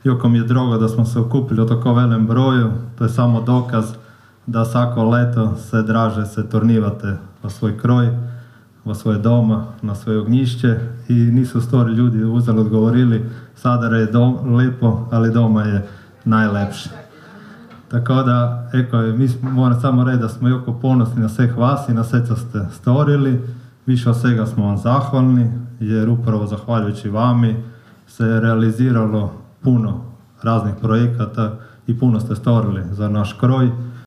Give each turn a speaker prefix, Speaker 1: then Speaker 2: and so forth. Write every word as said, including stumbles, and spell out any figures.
Speaker 1: Joko mi je drogo da smo se okupili u tako velem broju, to je samo dokaz da svako leto se draže se tornivate v svoj kroj, v svoje doma, na svoje ognjišće i nisu stori ljudi uzeli odgovorili Sadar je dom, lepo, ali doma je najlepše. Tako da, eko, mi moram samo reći da smo jako ponosni na sveh vas i na sve co ste storili. Više od svega smo vam zahvalni, jer upravo zahvaljujući vami se realiziralo puno raznih projekata i puno ste storili za naš kroj.